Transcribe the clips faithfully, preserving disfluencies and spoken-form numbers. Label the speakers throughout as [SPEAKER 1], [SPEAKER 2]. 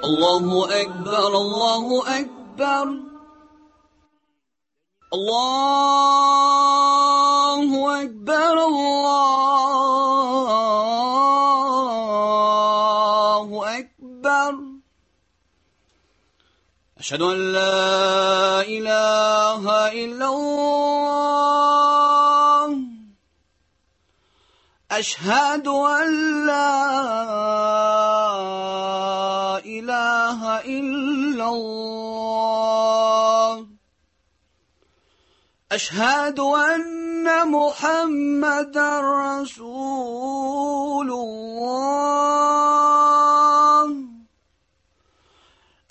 [SPEAKER 1] Allahu Ekber, Allahu Ekber. Allahu Ekber, Allahu Ekber. Eşhedü en la ilahe illallah. Eşhedü en la ilahe illallah. Eşhedü enne Muhammeden Resulullah.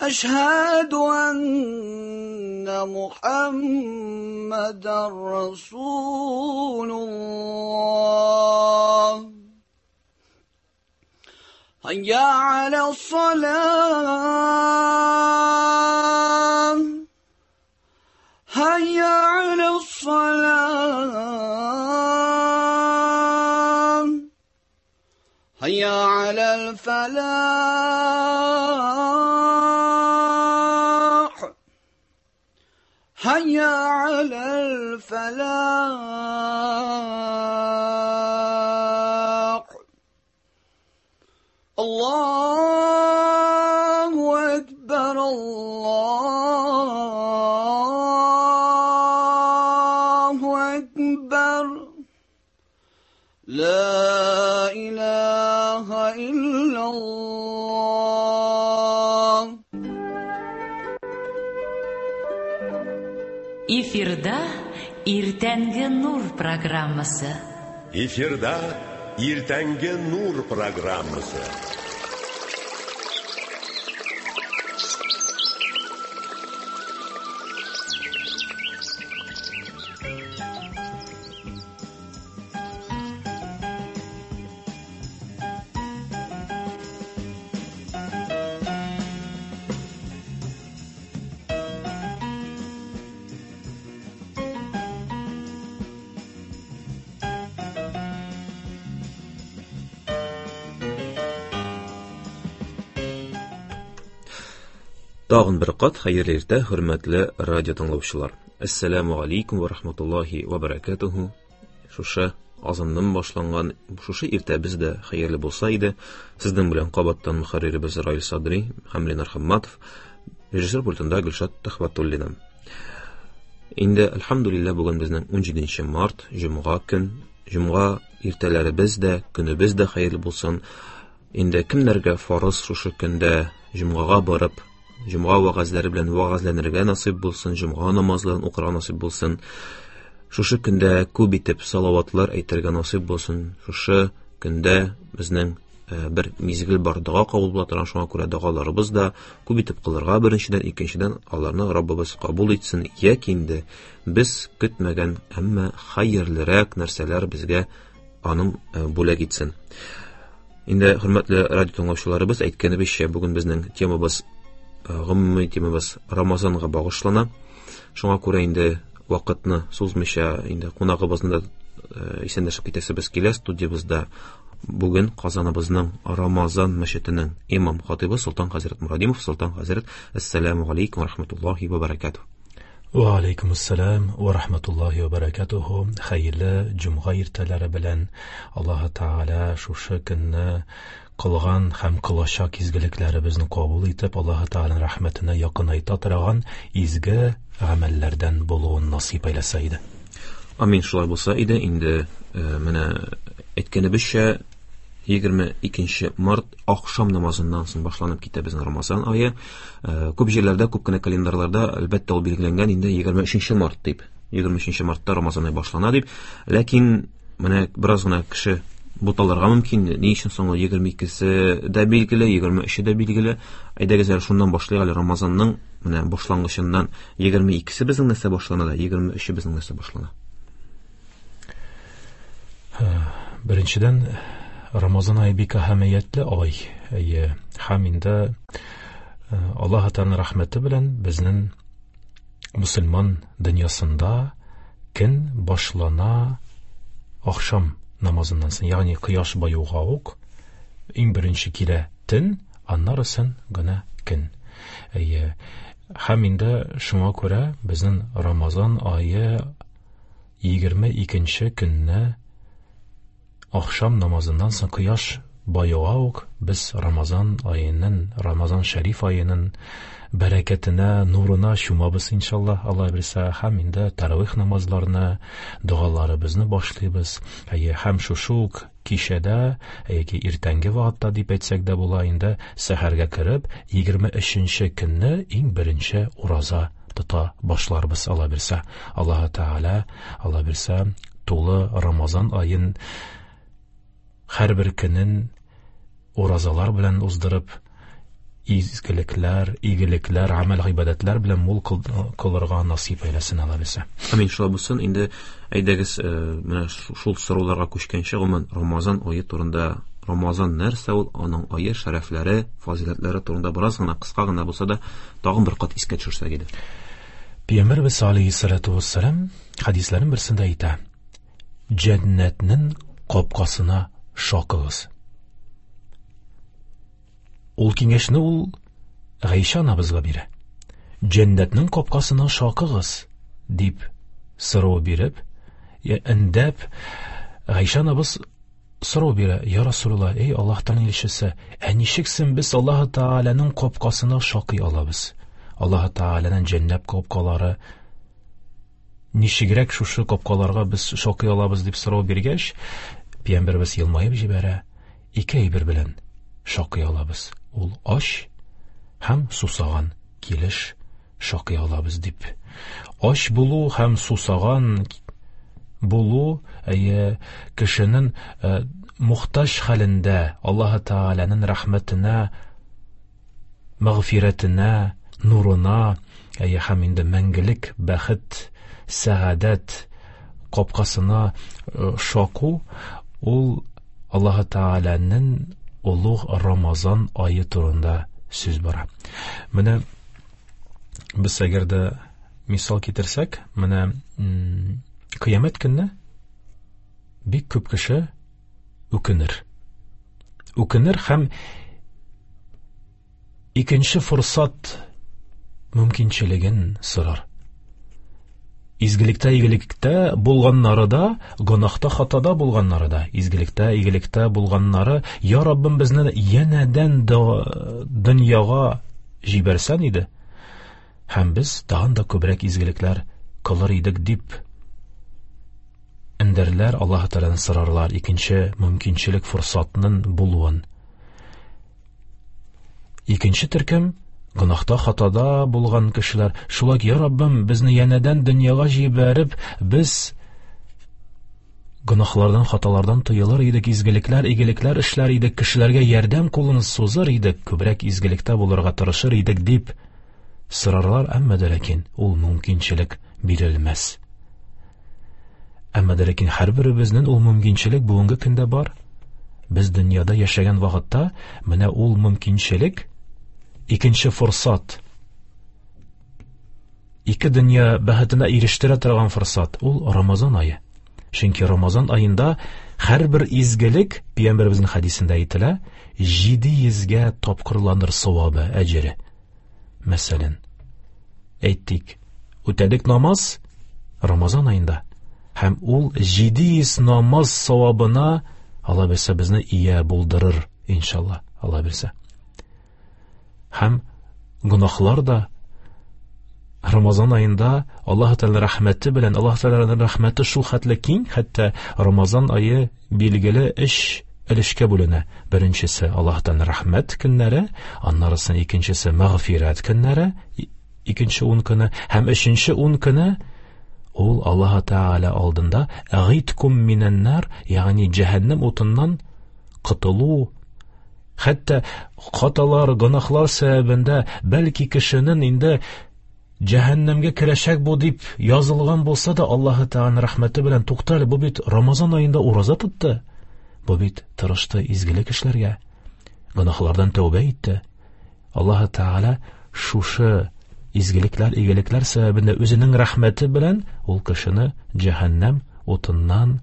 [SPEAKER 1] Eşhedü enne Muhammeden Resulullah. Hayya alas-salah. Hayya alas-salah. Hayya alal-falah. Hayya alal-falah. Allahu Ekber, Allahu Ekber. La ilahe illallah.
[SPEAKER 2] Эфирда Иртәнге Нур программасы.
[SPEAKER 3] Эфирда Иртәнге Нур программасы.
[SPEAKER 4] Тагын бер кат хәерле иртә, хөрмәтле радио тыңлаучылар. Әссәламу алейкум ва рахматуллахи ва баракатуху. Шушы азаннан башланган шушы иртәбез дә хәерле булса иде. Сезнең белән кабаттан мөхәрриребез Раил Садри һәм Ленар Хамматов, режиссер пультында Гөлшат Төхвәтуллина. Инде әлхәмдүлилләһ бүген безнең ун җиденче март, җомга көн. Җомга иртәләребез дә, көнебез дә хәерле булсын. Инде кемнәргә фарыз шушы көндә җомгага барып, җомга вәгазьләре белән вәгазьләнергә насыйп булсын, җомга намазларын укырга насыйп булсын. Шушы көндә күп итеп салаватлар әйтергә насыйп булсын. Шушы көндә безнең бер мизгел бар, дога кабул була торган, шуңа күрә догаларыбыз да күп итеп кылырга беренчедән, икенчедән аларны Раббыбыз кабул итсен, яки инде без көтмәгән, әмма хәерлерәк нәрсәләр безгә аның бүләк итсен. Инде хөрмәтле радио тыңлаучыларыбыз, әйткәнебезчә, бүген безнең темабыз, гомуми темабыз Рамазанга багышлана. Шуңа күрә инде вакытны сузмыйча инде кунагыбызны да исәнләшеп китәсебез килә. Студиябездә бүген Казаныбызның Рамазан мәчетенең имам хатибы Солтан хәзрәт Мурадимов. Солтан хәзрәт, әссәламу алейкум ва рахматуллахи ва баракатуһ.
[SPEAKER 5] Ва алейкум ассалам ва рахматуллахи ва баракатуһ. Хәерле җомга иртәләре белән Аллаһ Тааля шушы көнне кылган һәм кылачак изгелекләребезне кабул итеп, Аллаһ Тааляның рәхмәтенә якынайта торган изге гамәлләрдән булуын насыйп әйләсә иде.
[SPEAKER 4] Амин, шулай булса иде. Инде менә әйткәнебезчә, егерме икенче март ахшам намазыннан соң башланып китә безнең Рамазан ае. Күп җирләрдә, күп кенә календарьларда әлбәттә ул билгеләнгән инде егерме өченче март дип. егерме өченче мартта Рамазан ае башлана дип. Ләкин менә бераз гына кеше буталырга мөмкин. Ни өчен соң ул егерме икесе дә билгеле, егерме өче дә билгеле? Әйдәгез әле шуннан башлыйк әле, Рамазанның менә башлангычыннан. Егерме икесе безнең нәрсә башлана да, егерме өче безнең нәрсә башлана?
[SPEAKER 5] Беренчедән, Рамазан ае бик әһәмиятле ай. Әйе, һәм инде Аллаһ Тааляның рәхмәте белән безнең мусульман дөньясында көн башлана ахшам намазыннан соң, ягъни кояш баюга ук иң беренче килә төн, Аннарысын гына көн. Әйе, һәм инде шуңа күрә безнең Рамазан ае егерме икенче көнне ахшам намазыннан соң кояш баюга ук без Рамазан аеның, Рамазан шәриф аеның бәрәкәтенә, нурына чумабыз иншаллаһ, Алла бирсә, һәм инде таравих намазларны, догаларыбызны башлыйбыз. Әйе, һәм шушы ук кичәдә, яки иртәнге вакытта дип әйтсәк дә була инде, сәхәргә кереп, егерме өченче көнне иң беренче ураза тота башларбыз, Алла бирсә. Аллаһ Тәгалә, Алла бирсә, тулы Рамазан аен һәрбер көнен уразалар белән уздырып, изгелекләр, игелекләр, гамәл гыйбадәтләр белән мул кылырга насыйп әйләсен, Алла бирсә.
[SPEAKER 4] Амин, шулай булсын. Инде әйдәгез, менә шул сорауларга күчкәнче, гомумән Рамазан ае турында, Рамазан нәрсә ул, аның ае, шәрәфләре, фазиләтләре турында бераз гына, кыска гына булса да, тагын бер кат искә төшерсәк иде.
[SPEAKER 5] Пәйгамбәрбез алейһиссалату вассалам хәдисләрнең берсендә әйтә: Җәннәтнең капкасына шакыгыз. Ул киңәшне ул Гайшә анабызга бирә. Җәннәтнең капкасына шакыгыз дип сорау биреп, эндәп, Гайшә анабыз сорау бирә: Я Расулулла, эй Аллаһтан илчесе, ә ничексен без Аллаһ Тәгаләнең капкасына шакый алабыз? Аллаһ Тәгаләнең җәннәт капкалары ничегрәк шушы капкаларга без шакый алабыз дип сорау биргәч, Пәйгамбәребез елмаеп җибәрә: ике әйбер белән шакый алабыз. Ул ач һәм сусаган килеш шакый алабыз дип. Ач булу һәм сусаган булу, әйе, кешенең мухтаҗ хәлендә Аллаһ Тәгаләнең рәхмәтенә, мәгъфирәтенә, нурына, әйе, һәм инде мәңгелек бәхет, сәгадәт капкасына шаку, ул Аллаһ Тәгаләнең олуг Рамазан ае турында сүз бара. Менә без әгәр дә мисал китерсәк, менә кыямәт көнне бик күп кеше үкенер. Үкенер һәм икенче форсат мөмкинчелеген сорар. Изгелектә, игелектә булганнары да, гөнаһта, хатада булганнары да, изгелектә, игелектә булганнары, я Раббым, безне янәдән дөньяга җибәрсән иде, һәм без тагын да күбрәк изгелекләр кылыр идек дип эндәрләр, Аллаһ Тәгаләдән сорарлар икенче мөмкинчелек форсатның булуын. Икенче төркем гөнаһта, хатада булган кешеләр, шулай, я Раббым, безне янәдән дөньяга җибәреп, без гөнаһлардан, хаталардан тыелыр идек, изгелекләр, игелекләр эшләр идек, кешеләргә ярдәм кулын сузыр идек, күбрәк изгелектә булырга тырышыр идек дип сорарлар, әмма дә ләкин ул мөмкинчелек бирелмәс. Әмма дә ләкин һәрберебезнең ул мөмкинчелек бүгенге көндә бар. Без дөньяда яшәгән вакытта менә ул мөмкинчелек, икенче форсат, ике дөнья бәхетенә ирештерә торган форсат, ул Рамазан ае. Чөнки Рамазан аенда һәрбер изгелек, Пәйгамбәребезнең хәдисендә әйтелә, җиде йөзгә тапкырланыр савабы, әҗере. Мәсәлән, әйтик, үтәдек намаз Рамазан аенда, һәм ул җиде йөз намаз савабына Алла бирсә безне ия булдырыр, иншалла, Алла бирсә. Һәм гөнаһлар да Рамазан аенда Аллаһ Тәгалә рәхмәте белән, Аллаһ Тәгаләнең рәхмәте шул хәтле киң, хәтта Рамазан ае билгеле өч өлешкә бүленә. Беренчесе Аллаһ Тәгаләнең рәхмәт көннәре, аннарысы икенчесе мәгъфирәт көннәре, икенче ун көне, һәм өченче ун көне ул Аллаһ Тәгалә алдында гыйткум минән-нар, ягъни җәһәннәм утыннан котылу. Хәтта хаталар, гөнаһлар сәбәбендә бәлки кешенең инде җәһәннәмгә керәчәк бу дип язылган булса да, Аллаһ Тәгаләнең рәхмәте белән туктале, бу бит Рамазан аенда ураза тотты, бу бит тырышты изгелек эшләргә, гөнаһлардан тәүбә итте. Аллаһ Тәгалә шушы изгелекләр, игелекләр сәбәбендә үзенең рәхмәте белән ул кешене җәһәннәм утыннан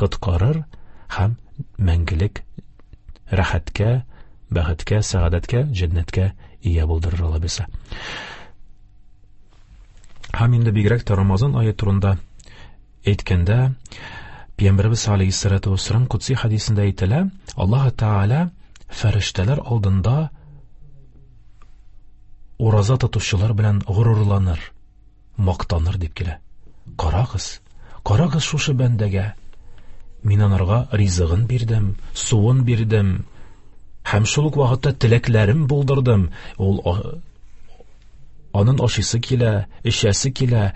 [SPEAKER 5] коткарыр һәм мәңгелек рәхәткә, бәхеткә, сәгадәткә, җәннәткә ия булдырыр Алла бирсә. Һәм инде бигрәк тә Рамазан ае турында әйткәндә, Пәйгамбәребез алейһиссалату вассалам кудси хәдисендә әйтелә, Аллаһ Тәгалә фәрештәләр алдында ураза тотучылар белән горурланыр, мактаныр дип килә. Карагыз, карагыз шушы бәндәгә. Мин анарга ризыгын бирдем, суын бирдем, һәм шул ук вакытта теләкләрем булдырдым. Ул анын ашыйсы килә, эчәсе килә,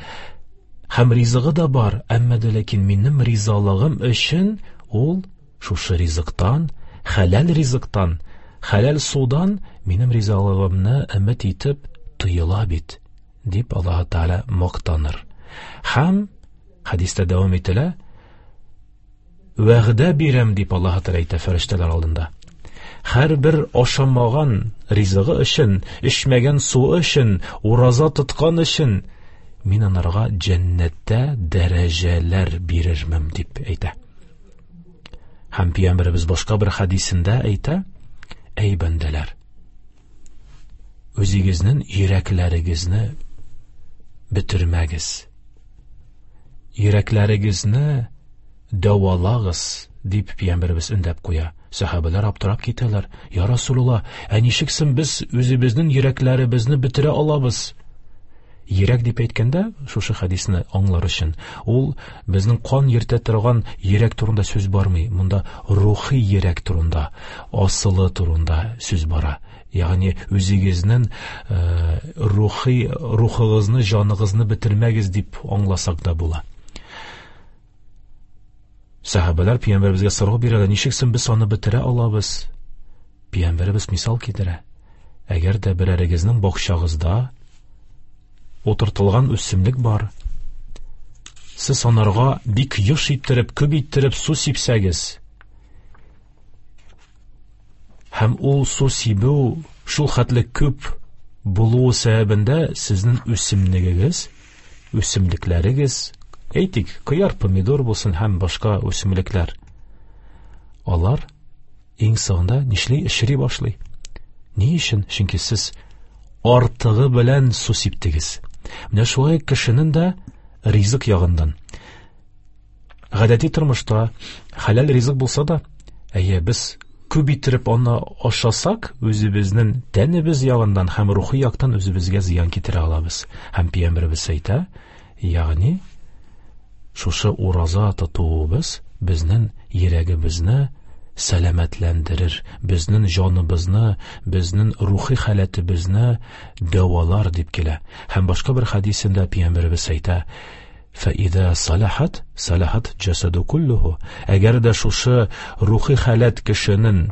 [SPEAKER 5] һәм ризыгы да бар, әмма дә ләкин минем ризалыгым өчен ул шушы ризыктан, хәләл ризыктан, хәләл судан минем ризалыгымны өмет итеп тыела бит, дип Аллаһ Тәгалә мактаныр. Һәм хәдистә дәвам ителә, вәгъдә бирәм дип Аллаһ Тәгалә әйтә фәрештәләр алдында. Һәрбер ашамаган ризыгы өчен, эчмәгән суы өчен, ураза тоткан өчен мин анарга җәннәттә дәрәҗәләр бирермен дип әйтә. Һәм Пәйгамбәребез башка бер хәдисендә әйтә: Әй бәндәләр, үзегезнең йөрәкләрегезне бетермәгез, йөрәкләрегезне дәвалагыз, дип Пәйгамбәребез өндәп куя. Сәхабәләр аптырап китәләр. Я Расулулла, ә ничек соң без үзебезнең йөрәкләребезне бетерә алабыз? Йөрәк дип әйткәндә, шушы хәдисне аңлар өчен, ул безнең кан йөртә торган йөрәк турында сүз бармый. Монда рухи йөрәк турында, асылы турында сүз бара. Ягъни үзегезнең рухи, рухыгызны, җаныгызны бетермәгез дип аңласак да була. Сәхабәләр Пәйгамбәребезгә сорау бирәләр, ничек соң без аны бетерә алабыз? Пәйгамбәребез мисал китерә. Әгәр дә берәрегезнең бакчагызда утыртылган үсемлек бар, сез анарга бик еш иттереп, күп иттереп су сипсәгез, һәм ул су сибү шул хәтле күп булуы сәбәбендә сезнең үсемлегегез, үсемлекләрегез, әйтик, кыяр, помидор булсын һәм башка үсемлекләр, алар иң соңында нишли? Эшри башлый. Ни өчен? Чөнки сез артыгы белән су сиптегез. Менә шулай кешенең дә ризык ягыннан. Гадәти тормышта хәләл ризык булса да, әйе, без күп иттереп аны ашасак, үзебезнең тәнебез ягыннан һәм рухи яктан үзебезгә зыян китерә алабыз. Һәм Пәйгамбәребез әйтә, ягъни шушы ураза тотуыбыз безнең йөрәгебезне сәламәтләндерер, безнең җаныбызны, безнең рухи халәтебезне дәвалар дип килә. Һәм башка бер хәдисендә Пәйгамбәребез әйтә: "Фәиза салахат, салахат җасаду куллуху". Әгәр дә шушы рухи халәт кешенең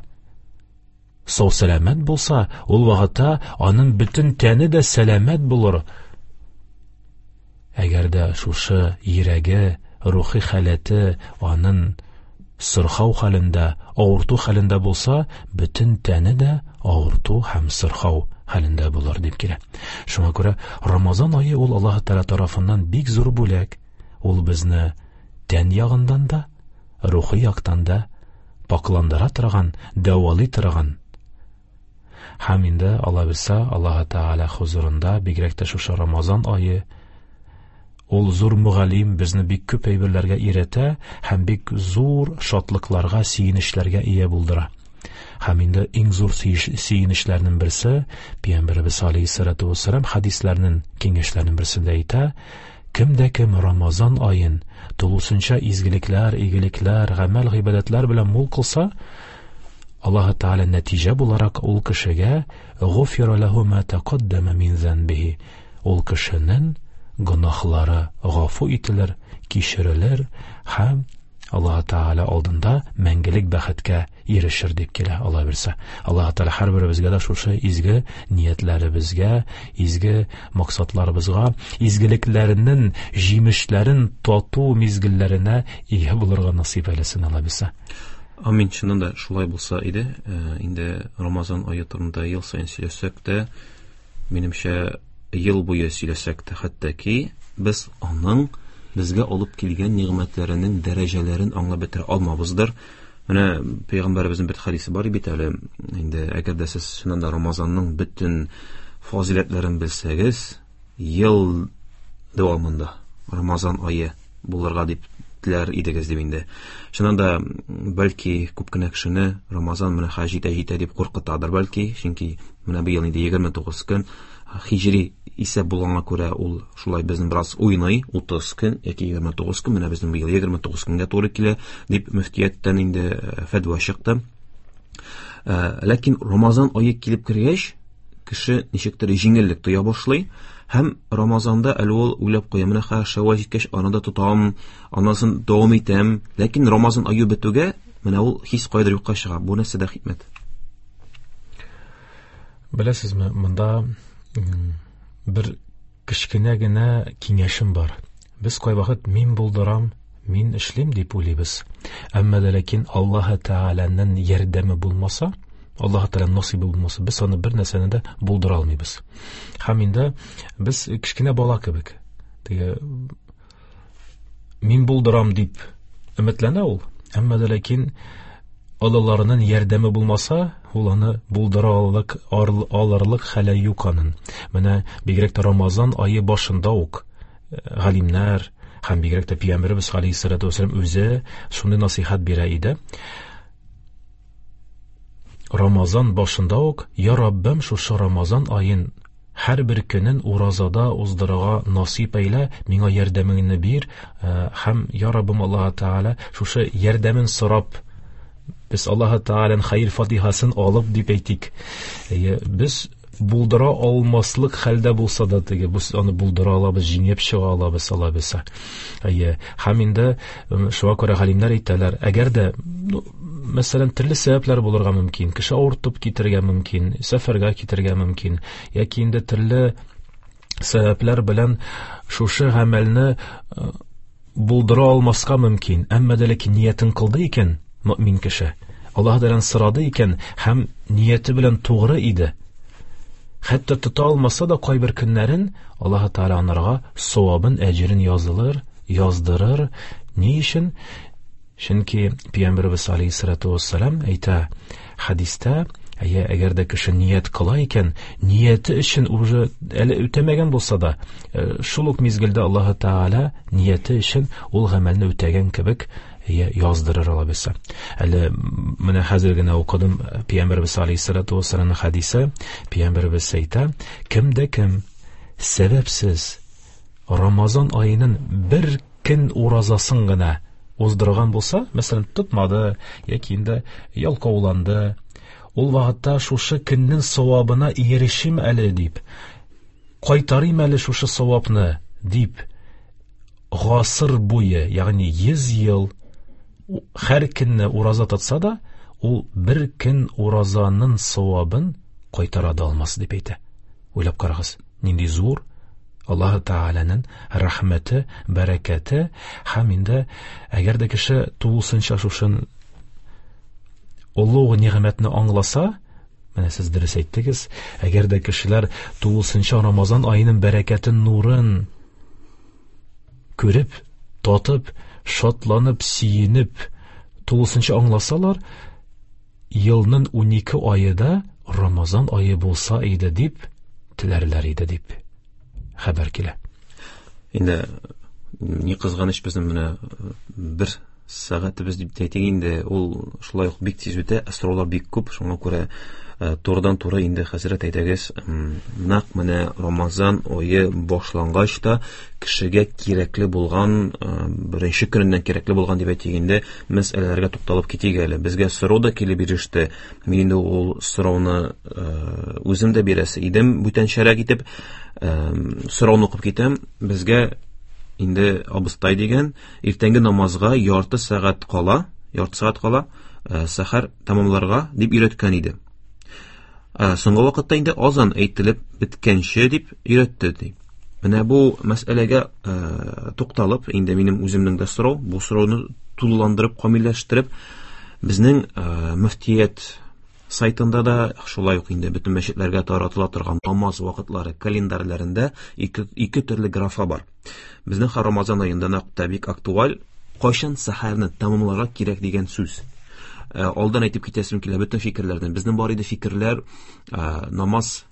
[SPEAKER 5] сау сәламәт булса, ул вакытта аның бөтен тәне дә сәламәт булыр. Әгәр дә шушы йөрәге, рухи халәте аның сырхау хәлендә, авырту хәлендә булса, бөтен тәне дә авырту һәм сырхау хәлендә булыр дип килә. Шуңа күрә Рамазан ае ул Аллаһ Тәгалә тарафыннан бик зур бүләк. Ул безне тән ягыннан да, рухи яктан да пакландыра торган, дәвалый торган. Һәм инде Алла бирсә, Аллаһ Тәгалә хузурында бигрәк тә шушы Рамазан ае ул зур мөгаллим, безне бик күп әйберләргә өйрәтә һәм бик зур шатлыкларга, сөенечләргә ия булдыра. Һәм инде иң зур сөенечләрнең берсе Пәйгамбәребез алейһиссалату вассалам хәдисләрнең, киңәшләрнең берсендә әйтә: кем дә кем Рамазан аен тулысынча изгелекләр, игелекләр, гамәл, гыйбадәтләр белән мул кылса, Аллаһ Тәгалә нәтиҗә буларак ул кешегә гуфира ләһу ма тәкаддама мин занбихи, ул кешенең гөнаһлары гафу ителер, кичерелер һәм Аллаһ Тәгалә алдында мәңгелек бәхеткә ирешер дип килә Алла бирсә. Аллаһ Тәгалә һәрберебезгә дә шушы изге ниятләребезгә, изге максатларыбызга, изгелекләренең җимешләрен тату мизгелләренә ия булырга насыйп әйләсен Алла бирсә.
[SPEAKER 4] Амин. Чыннан да шулай булса иде. Инде Рамазан ае турында ел саен сөйләсәк тә, минемчә, ел буе сөйләсәк тә, хәтта ки без аның безгә алып килгән нигъмәтләренең дәрәҗәләрен аңлап бетерә алмабыздыр. Менә пәйгамбәребезнең бер хәдисе бар бит әле. Инде әгәр дә сез чыннан да Рамазанның бөтен фазиләтләрен белсәгез, ел дәвамында Рамазан ае булырга дип теләр идегез дип инде. Чыннан да бәлки күп кенә кешене Рамазан менә хәл җитә җитә дип куркытадыр бәлки, чөнки менә быел инде егерме тугыз көн хиҗри исәп булганга күрә ул шулай безнең бераз уйный, утыз көн яки егерме тугыз көн, менә безнең быел егерме тугыз көнгә туры килә дип мөфтияттән инде фәтва чыкты. Ләкин Рамазан ае килеп кергәч, кеше ничектер җиңеллек тоя башлый һәм Рамазанда әле ул уйлап куя, менә хәзер Шәввәл җиткәч, аны да тотам, аннан дәвам итәм. Ләкин Рамазан ае бетүгә менә ул хис кайдыр юкка чыга. Бу нәрсәдә хикмәт?
[SPEAKER 5] Беләсезме, монда бер кечкенә генә киңәшем бар. Без кайвакыт мин булдырам, мин эшлим дип уйлыйбыз. Әмма дә ләкин Аллаһ Тәгаләнең ярдәме булмаса, Аллаһ Тәгаләнең насыйбы булмаса, без аны бер нәрсәне дә булдыра алмыйбыз. Һәм инде без кечкенә бала кебек. Теге мин булдырам дип өметләнә ул, әмма дә ләкин олыларының ярдәме булмаса, ул аны булдыра алырлык, алырлык хәле юк аның. Менә бигрәк тә Рамазан ае башында ук галимнәр һәм бигрәк тә Пәйгамбәребез алейһиссалату вассалам үзе шундый насыйхат бирә иде. Рамазан башында ук, я Раббым, шушы Рамазан аен һәрбер көнен уразада уздырырга насыйп әйлә, миңа ярдәмеңне бир, һәм я Раббым Аллаһ Тәгалә шушы ярдәмен сорап, без Аллаһ Тәгаләнең хәер фатихасын алып дип әйтик. Без булдыра алмаслык хәлдә булса да теге, без аны булдыра алабыз, җиңеп чыга алабыз, алабыз. Әйе, һәм инде шуңа күрә галимнәр әйтәләр, әгәр дә, мәсәлән, төрле сәбәпләр булырга мөмкин, кеше авыртып китергә мөмкин, сәфәргә китергә мөмкин, яки инде төрле сәбәпләр белән шушы гамәлне булдыра алмаска мөмкин, әмма дә ләкин ниятен кылды икән мөмин кеше, Аллаһ Тәгаләдән сорады икән һәм нияте белән тугры иде, хәтта тота алмаса да кайбер көннәрен Аллаһ Тәгалә анарга савабын, әҗерен язылыр, яздырыр. Ни өчен? Чөнки Пәйгамбәребез алейһиссалату вассалам әйтә хәдистә, әйе, әгәр дә кеше ният кыла икән, нияте өчен уже әле үтәмәгән булса да, шул ук мизгелдә Аллаһ Тәгалә нияте өчен ул гамәлне үтәгән кебек яздырыр алабызса. Әле менә хәзер генә укыдым Пәйгамбәребез алейһиссалату вассаламның хәдисе. Пәйгамбәребез әйтә, кем дә кем сәбәпсез Рамазан аеның бер көн уразасын гына уздырган булса, мәсәлән, тотмады яки инде ялкауланды, ул вакытта шушы көннең савабына ирешим әле дип, кайтарыйм әле шушы савапны дип, гасыр буе, ягъни йөз ел һәр көнне ураза тотса да, ул бер көн уразаның савабын кайтара да алмас дип әйтә. Уйлап карагыз, нинди зур Аллаһ Тәгаләнең рәхмәте, бәрәкәте. Һәм инде әгәр дә кеше тулысынча шушын олуг нигъмәтне аңласа, менә сез дөрес әйттегез, әгәр дә кешеләр тулысынча Рамазан аеның бәрәкәтен, нурын күреп, татып, шатланып, сөенеп, тулысынча аңласалар, елның унике ае да Рамазан ае булса иде дип теләрләр иде дип хәбәр килә.
[SPEAKER 4] Инде ни кызганыч, безнең менә бер сәгатебез дип әйтик инде, ул шулай ук бик тиз үтә, сораулар бик күп, шуңа күрә турыдан-туры инде хәзрәт әйтәгез, нәкъ менә Рамазан ае башлангач та кешегә кирәкле булган, беренче көненнән кирәкле булган дип әйтик инде, мәсьәләләргә тукталып китик әле. Безгә сорау да килеп иреште. Мин инде ул сорауны үзем дә бирәсе идем, бүтәнчәрәк итеп сорауны укып китәм. Безгә инде абыстай дигән, иртәнге намазга ярты сәгать кала, ярты сәгать кала, сәхәр тәмамларга дип өйрәткән иде. Соңгы вакытта инде азан әйтелеп беткәнче дип өйрәтте ди. Менә бу мәсьәләгә тукталып, инде минем үземнең дә сорау, бу сорауны тулыландырып, камилләштереп, безнең мөфтият сайтында да, шулай ук инде бөтен мәчетләргә таратыла торган намаз вакытлары календарьләрендә ике, ике төрле графа бар. Безнең һәр Рамазан аенда нәкъ тә бик актуаль, кайчан сәхәрне тәмамларга кирәк дигән сүз. Алдан әйтеп китәсем килә бөтен фикерләрдән. Безнең бар иде фикерләр, намаз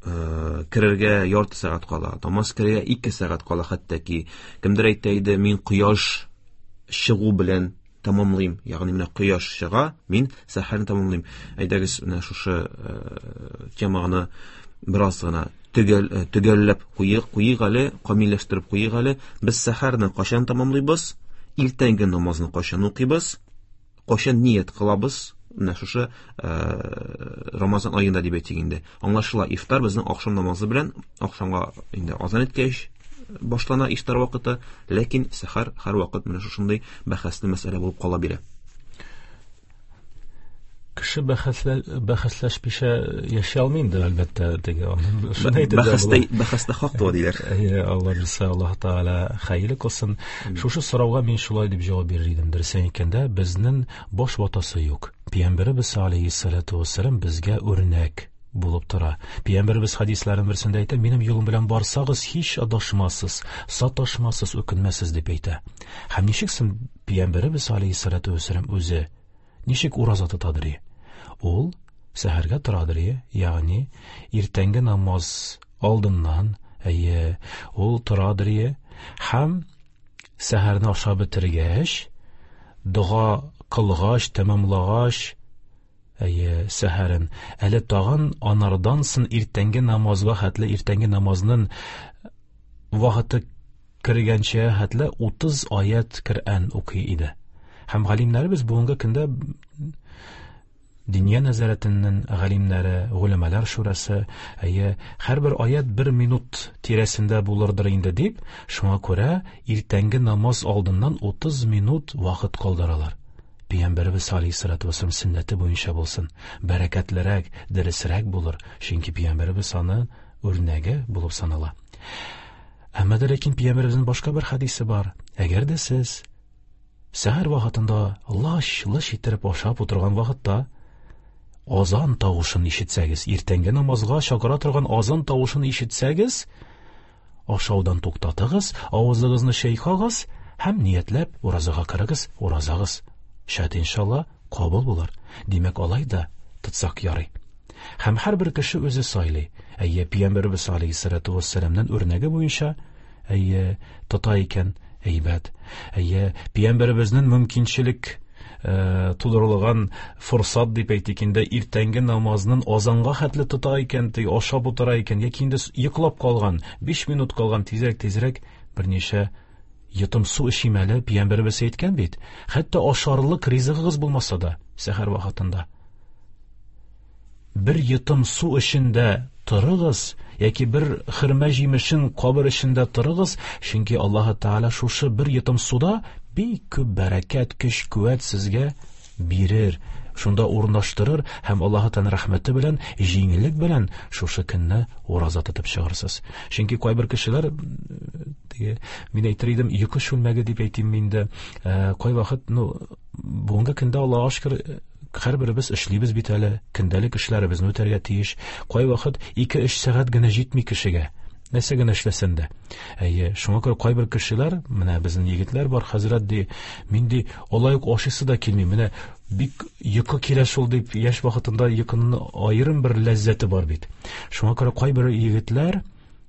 [SPEAKER 4] керергә ярты сәгать кала, намаз керергә ике сәгать кала, хәтта ки кемдер әйтә иде, мин кояш чыгу белән тамамлыйм, ягъни менә кояш чыга, мин сәхәрне тамамлыйм. Әйдәгез, менә шушы теманы бераз гына төгәл, төгәлләп куйык, куйык әле, камилләштереп куйык әле. Без сәхәрне кайчан тамамлыйбыз? Иртәнге намазны кайчан укыйбыз? Кайчан ният кылабыз? Менә шушы Рамазан аенда дип әйтик инде. Аңлашыла, ифтар безнең ахшам намазы белән, ахшамга инде азан иткәч башлана ифтар вакыты, ләкин сәхәр һәр вакыт менә шушындый бәхәсле мәсьәлә булып кала бирә.
[SPEAKER 5] Кеше бәхәсләшмичә яши алмый инде, әлбәттә, теге шуны әйтеп
[SPEAKER 4] бәхәстә бәхәстә хак туа диләр.
[SPEAKER 5] Әйе, Алла бирсә, Аллаһ Тәгалә хәерле кылсын. Шушы сорауга мин шулай дип җавап бирер идем. Дөресен әйткәндә, безнең баш ватасы юк. Пәйгамбәребез алейһиссалату вассалам безгә үрнәк булып тора. Пәйгамбәребез хәдисләренең берсендә әйтә, минем юлым белән барсагыз, һич адашмассыз, саташмассыз, үкенмәссез дип әйтә. Һәм ничек соң Пәйгамбәребез алейһиссалату вассалам үзе ничек ураза тотадыр? Ул сәхәргә торадыр, ягъни иртәнге намаз алдыннан, әйе, ул торадыр һәм сәхәрне ашап бетергәч, дога кылгач, тәмамлагач, әйе, сәхәрен, әле тагын анардан соң иртәнге намазга хәтле, иртәнге намазның вакыты кергәнчә хәтле утыз аят Коръән укый иде. Һәм галимнәребез бүгенге көндә Диния нәзарәтенең галимнәре, голәмәләр шурасы, әйе, һәрбер аят бер минут тирәсендә булырдыр инде дип, шуңа күрә иртәнге намаз алдыннан утыз минут вакыт калдыралар. Пәйгамбәребез алейһиссалату вассалам сөннәте буенча булсын, бәрәкәтлерәк, дөресрәк булыр, чөнки Пәйгамбәребез аны үрнәге булып санала. Әмма дә ләкин Пәйгамбәребезнең башка бер хәдисе бар. Әгәр дә сез сәхәр вакытында лач-лыч иттереп ашап утырган вакытта азан тавышын ишетсәгез, иртәнге намазга чакыра торган азан тавышын ишетсәгез, ашаудан туктатыгыз, авызыгызны чайкагыз һәм ниятләп уразага керегез, уразагыз шәт иншалла кабул булыр. Димәк, алай да тотсак ярый. Һәм һәрбер кеше үзе сайлый. Әйе, Пәйгамбәребез алейһиссалату вассаламның үрнәге буенча, әйе, тота икән, әйбәт. Әйе, Пәйгамбәребезнең мөмкинчелек тудырылган форсат дип әйтик инде, иртәнге намазның азанга хәтле тота икән, теге ашап утыра икән, яки инде йоклап калган, биш минут калган, тизрәк тизрәк берничә йотым су эчим әле, Пәйгамбәребез әйткән бит. Хәтта ашарлык ризыгыгыз булмаса да, сәхәр вакытында бер йотым су эчендә торыгыз, яки бер хөрмә җимешен кабыр эчендә торыгыз, чөнки Аллаһ Тәгалә шушы бер йотым суда бик күп бәрәкәт, көч, куәт сезгә бирер, шунда урнаштырыр һәм Аллаһ Тәгалә рәхмәте белән, җиңеллек белән шушы көнне ураза тотып чыгарсыз. Чөнки кайбер кешеләр, теге, мин әйтер идем, йокы чүлмәге дип әйтим инде, кайвакыт, ну, бүгенге көндә Аллаһка шөкер, һәрберебез эшлибез бит әле, көндәлек эшләребезне үтәргә тиеш. Кайвакыт ике-өч сәгать генә җитми кешегә, нәрсә генә эшләсән дә. Әйе, шуңа күрә кайбер кешеләр, менә безнең егетләр бар, хәзрәт ди, мин ди, алай ук ашыйсы да килми, менә бик йокы килә шул дип, яшь вакытында йокының аерым бер ләззәте бар бит. Шуңа күрә кайбер егетләр,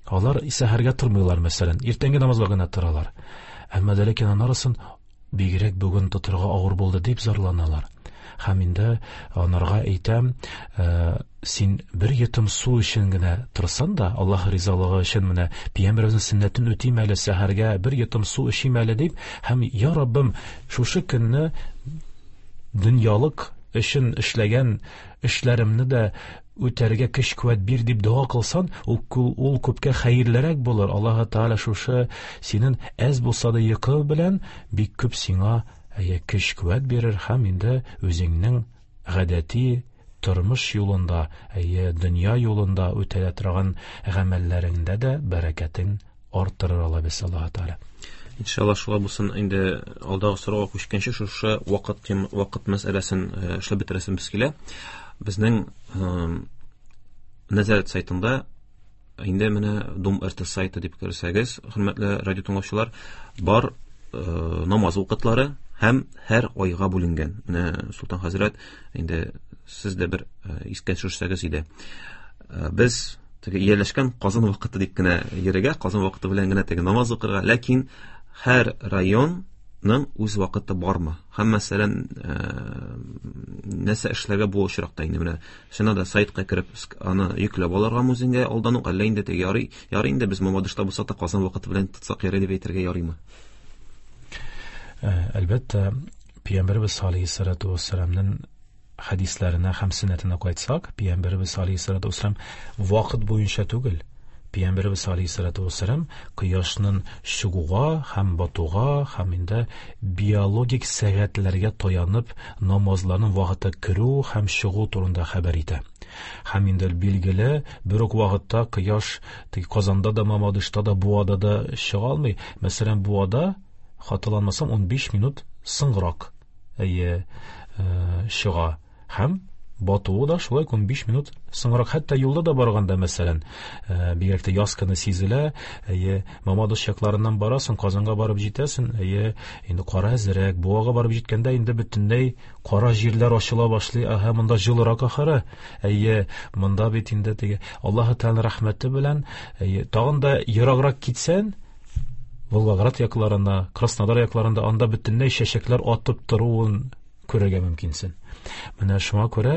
[SPEAKER 5] алар сәхәргә тормыйлар, мәсәлән, иртәнге намазга гына торалар. Әмма дә ләкин анысын бигрәк бүген тотырга авыр булды дип зарланалар. Һәм инде анарга әйтәм, син бер йотым су өчен генә торсаң да, Аллаһ ризалыгы өчен менә Пәйгамбәребезнең сөннәтен үтим әле, сәхәргә бер йотым су эчим әле дип, һәм я Раббым, шушы көнне дөньялык өчен эшләгән эшләремне дә үтәргә көч куәт бир дип дога кылсаң, ул, ул күпкә хәерлерәк булыр. Аллаһ Тәгалә шушы синең әз булса да йокы белән бик күп сиңа әйе көч куәт бирер һәм инде үзеңнең гадәти тормыш юлында, әйе дөнья юлында үтәлә торган гамәлләреңдә дә бәрәкәтен арттырыр Алла бирсә, Аллаһ Тәгалә.
[SPEAKER 4] Иншалла шулай булсын. Инде алдагы сорауга күчкәнче шушы вакыт тем, вакыт мәсьәләсен эшләп бетерәсебез килә. Безнең нәзарәт сайтында инде менә Дом эр тэ сайты дип керсәгез, хөрмәтле радио тыңлаучылар, бар намаз вакытлары Һәм һәр айга бүленгән. Менә Солтан хәзрәт, инде сез дә бер искә төшерсәгез иде. Без теге ияләшкән Казан вакыты дип кенә йөрергә, Казан вакыты белән генә теге намаз укырга, ләкин һәр районның үз вакыты бармы? Һәм мәсәлән, нәрсә эшләргә бу очракта инде менә чыннан да сайтка кереп аны йөкләп алырга үзеңгә алдан ук, әллә инде теге ярый, ярый инде без Мамадышта булсак та Казан вакыты белән тотсак ярый дип әйтергә ярыймы?
[SPEAKER 5] Әлбәттә, Пәйгамбәребез алейһиссалату вассаламның хәдисләренә һәм сөннәтенә кайтсак, Пәйгамбәребез алейһиссалату вассалам вакыт буенча түгел, Пәйгамбәребез алейһиссалату вассалам кояшның чыгуга һәм батуга һәм инде биологик сәгатьләргә таянып намазларның вакыты керү һәм чыгу турында хәбәр итә. Һәм инде билгеле, бер үк вакытта кояш Казанда да, Мамадышта да, Буада да чыга алмый. Мәсәлән, Буада, хаталанмасам, унбиш минут соңрак әйе чыга. Һәм батуы да шулай унбиш минут соңрак. Хәтта юлда да барганда, мәсәлән, бигрәк тә яз көне сизелә, әйе, Мамадыш якларыннан барасың, Казанга барып җитәсең, әйе, инде кара әзерәк, Буага барып җиткәндә инде бөтенләй кара җирләр ачыла башлый. Әһә, монда җылырак ахыры. Әйе, монда бит инде теге Аллаһы Тәгалә рәхмәте белән, әйе, тагын да ераграк китсәң, Волгоград якларында, Краснодар якларында анда бөтенләй чәчәкләр атып торуын күрергә мөмкинсең. Менә шуңа күрә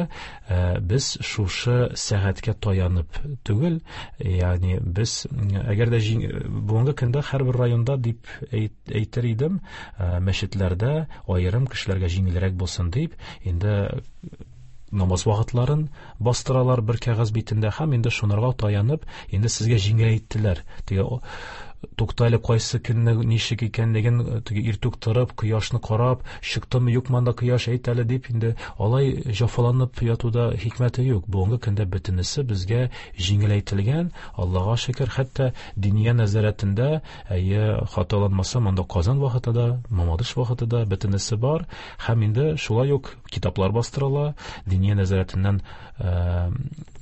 [SPEAKER 5] без шушы сәгатькә таянып түгел, ягъни без әгәр дә бүгенге көндә һәрбер районда дип әйтер идем, мәчетләрдә аерым кешеләргә җиңелрәк булсын дип, инде намаз вакытларын бастыралар бер кәгазь битендә һәм инде шунарга таянып, инде сезгә җиңеләйттеләр. Теге туктале кайсы көнне ничек икәнлеген теге иртүк торып, кояшны карап, чыктымы юкмы анда кояш әйт әле дип инде алай җафаланып ятуда хикмәте юк. Бүгенге көндә бөтенесе безгә җиңеләйтелгән, Аллага шөкер, хәтта диния нәзарәтендә, әйе, хаталанмасам, анда Казан вакыты да, Мамадыш вакыты да бөтенесе бар. Һәм инде шулай ук китаплар бастырыла, диния нәзарәтеннән,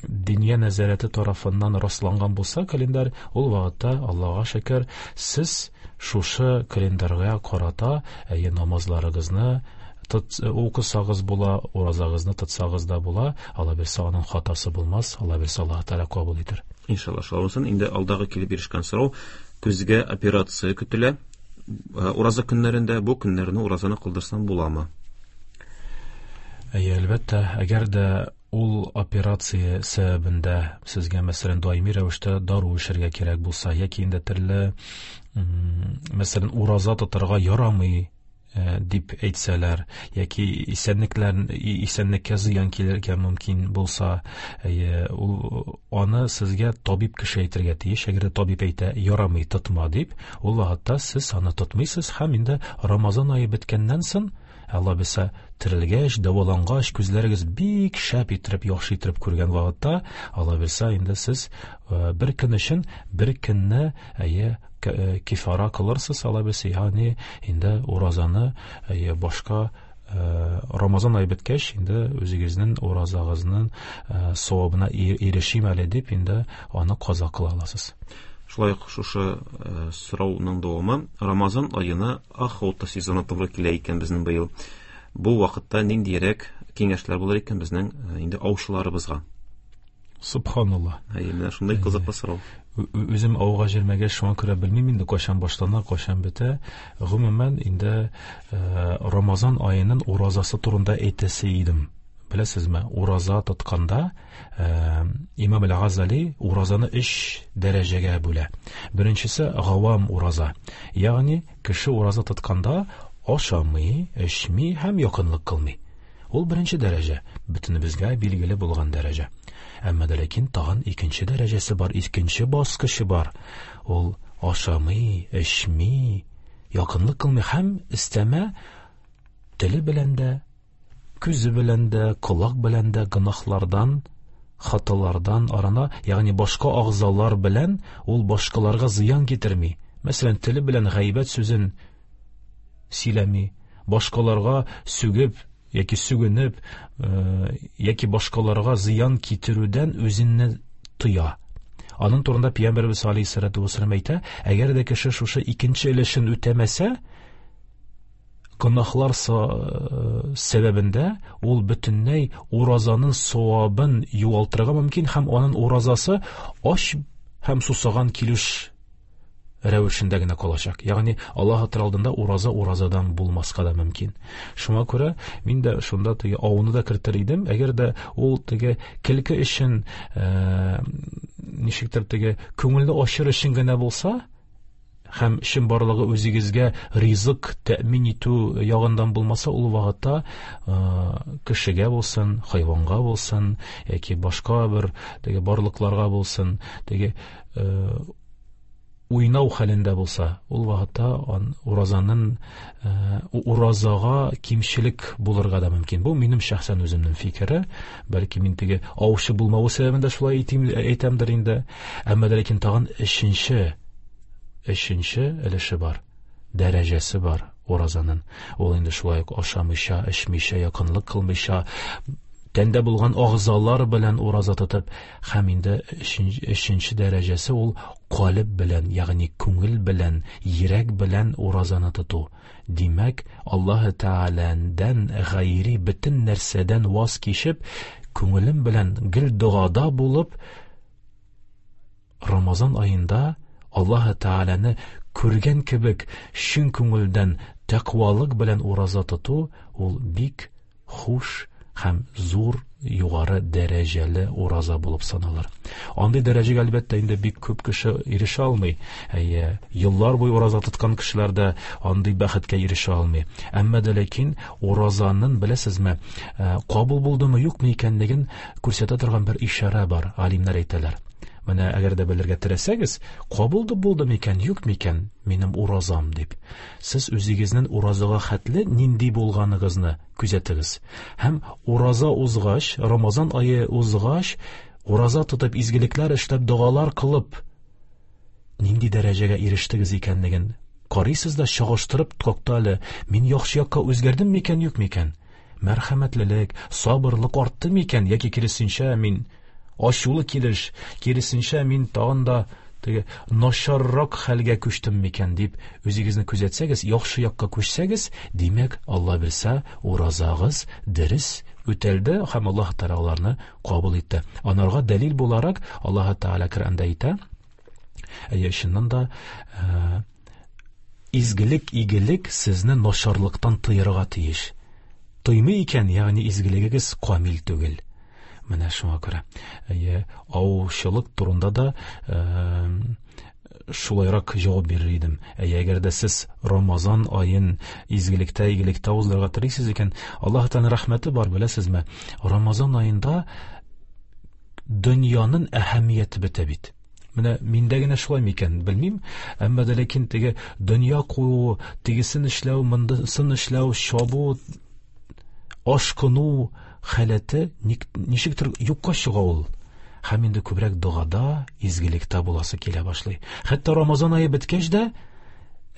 [SPEAKER 5] диния нәзарәте тарафыннан расланган булса календарь, ул вакытта Аллага шөкер, сез шушы календарьга карата әйе намазларыгызны укысагыз була, уразагызны тотсагыз да була. Алла бирсә, аның хатасы булмас, Алла бирсә, Аллаһ Тәгалә кабул итер.
[SPEAKER 4] Иншалла, шулай булсын. Инде алдагы килеп ирешкән сорау: күзгә операция көтелә. Ураза көннәрендә бу көннәрне уразаны кылдырсам буламы?
[SPEAKER 5] Әйе, әлбәттә, әгәр дә ул операция сәбәбендә сезгә, мәсәлән, даими рәвештә дару эчәргә кирәк булса, яки инде төрле, мәсәлән, ураза тотарга ярамый дип әйтсәләр, яки исәнлекләр, исәнлеккә зыян килергә мөмкин булса, ул аны сезгә табиб кеше әйтергә тиеш. Әгәр дә табиб әйтә, ярамый, тотма дип, ул вакытта сез аны тотмыйсыз һәм инде Рамазан ае беткәннән соң, Алла бирсә, терелгәч, дәвалангач, күзләрегез бик шәп иттереп, яхшы иттереп күргән вакытта, Алла бирсә, инде сез бер көн өчен бер көнне әйе кифара кылырсыз, Алла бирсә, ягъни инде уразаны әйе башка Рамазан ае беткәч, инде үзегезнең уразагызның савабына ирешим әле дип, инде аны каза кыла аласыз.
[SPEAKER 4] Шулай ук шушы сорауның дәвамы: Рамазан аена охота сезоны туры килә икән безнең быел. Бу вакытта ниндирәк киңәшләр булыр икән безнең инде аучыларыбызга?
[SPEAKER 5] Субханалла.
[SPEAKER 4] Әйе, менә шундый кызыклы сорау.
[SPEAKER 5] Үзем ауга җөрмәгәч, шуңа күрә белмим инде кайчан башлана, кайчан бетә. Гомумән, инде Рамазан аеның уразасы турында әйтәсе идем. Беләсезме, ураза тотканда Имам Әл-Газали уразаны өч дәрәҗәгә бүлә. Беренчесе гавам ураза. Ягъни кеше ураза тотканда ашамый, эчми һәм якынлык кылмый. Ул беренче дәрәҗә, бөтенебезгә билгеле булган дәрәҗә. Әмма дә ләкин тагын икенче дәрәҗәсе бар, икенче баскычы бар. Ул ашамый, эчми, якынлык кылмый һәм өстәмә теле белән дә, күзе белән дә, колак белән дә гөнаһлардан, хаталардан арына, ягъни башка агъзалар белән ул башкаларга зыян китерми. Мәсәлән, теле белән гайбәт сүзен сөйләми, башкаларга сүгеп яки сүгенеп, яки башкаларга зыян китерүдән үзенне тыя. Аның турында Пәйгамбәребез алейһиссалату вассалам әйтә, әгәр дә кеше шушы икенче өлешен үтәмәсә, гөнаһлар сәбәбендә ул бөтенләй уразаның савабын югалтырга мөмкин һәм аның уразасы ач һәм сусаган килеш рәвешендә генә калачак. Ягъни Аллаһ Тәгалә алдында ураза уразадан булмаска да мөмкин. Шуңа күрә мин дә шунда теге ауны да кертер идем. Әгәр дә ул теге көлке өчен, э, ничектер теге күңелне ачыр өчен генә булса, һәм чын барлыгы үзегезгә ризык тәэмин итү ягыннан булмаса, ул вакытта э, кешегә булсын, хайванга булсын, яки башка бер теге барлыкларга булсын, теге э, уйнау хәлендә булса, ул вакытта уразаның э, уразага кимчелек булырга да мөмкин. Бу минем шәхсән үземнең фикере. Бәлки мин теге аучы булмавы сәбәбендә шулай әйтим, әйтәмдер инде. Әмма дә ләкин тагын өченче өченче өлеше бар, дәрәҗәсе бар уразаның. Ул инде шулай ук ашамыйча, эчмичә, якынлык кылмыйча, тәндә булган агъзалар белән ураза тотып, һәм инде өченче дәрәҗәсе ул калеб белән, ягъни күңел белән, йөрәк белән уразаны тоту. Димәк, Аллаһ Тәгаләдән гайри бөтен нәрсәдән ваз кичеп, күңелем белән гел догада булып, Рамазан аенда Аллаһ Тәгаләне күргән кебек чын күңелдән тәкъвалык белән ураза тоту ул бик хуш һәм зур югары дәрәҗәле ураза булып саналыр. Андый дәрәҗәгә әлбәттә инде бик күп кеше ирешә алмый. Әйе, еллар буе ураза тоткан кешеләр дә андый бәхеткә ирешә алмый. Әмма дә ләкин уразаның, беләсезме, кабул булдымы, юкмы икәнлеген күрсәтә торган бер ишарә бар, галимнәр әйтәләр. Менә әгәр дә белергә теләсәгез, кабул булды микән, юк микән минем уразам дип. Сез үзегезнең уразага хәтле нинди булганыгызны күзәтегез. Һәм ураза узгач, Рамазан ае узгач, ураза тотып изгелекләр эшләп, догалар кылып, нинди дәрәҗәгә ирештегез икәнлеген карыйсыз да чагыштырып, тукта әле, мин яхшы якка үзгәрдем микән, юк микән? Мәрхәмәтлелек, сабырлык артты микән, яки киресенчә мин ачулы килеш, киресенчә мин тагын да теге начаррак хәлгә күчтем микән дип үзегезне күзәтсәгез, яхшы якка күчсәгез, димәк, Алла белсә, уразагыз дөрес үтәлде һәм Аллаһ Тәгалә аларны кабул итте. Анарга дәлил буларак Аллаһ Тәгалә Коръәндә әйтә, әйе, чыннан да э, изгелек, игелек сезне начарлыктан тыярга тиеш. Тыймый икән, ягъни изгелегегез камил түгел. Менә шуңа күрә. Әйе, аучылык турында да э, шулайрак җавап бирер идем. Әйе, әгәр дә сез Рамазан аен изгелектә, игелектә уздырырга телисез икән, Аллаһ Тәгаләнең рәхмәте бар, беләсезме? Рамазан аенда дөньяның әһәмияте бетә бит. Менә миндә генә шулай микән, белмим. Әмма дә ләкин теге дөнья кую, тегесен эшләү, мондысын эшләү, чабу, ашкыну халәте ничектер юкка чыга ул. Һәм инде күбрәк догада, изгелектә буласы килә башлый. Хәтта Рамазан ае беткәч дә,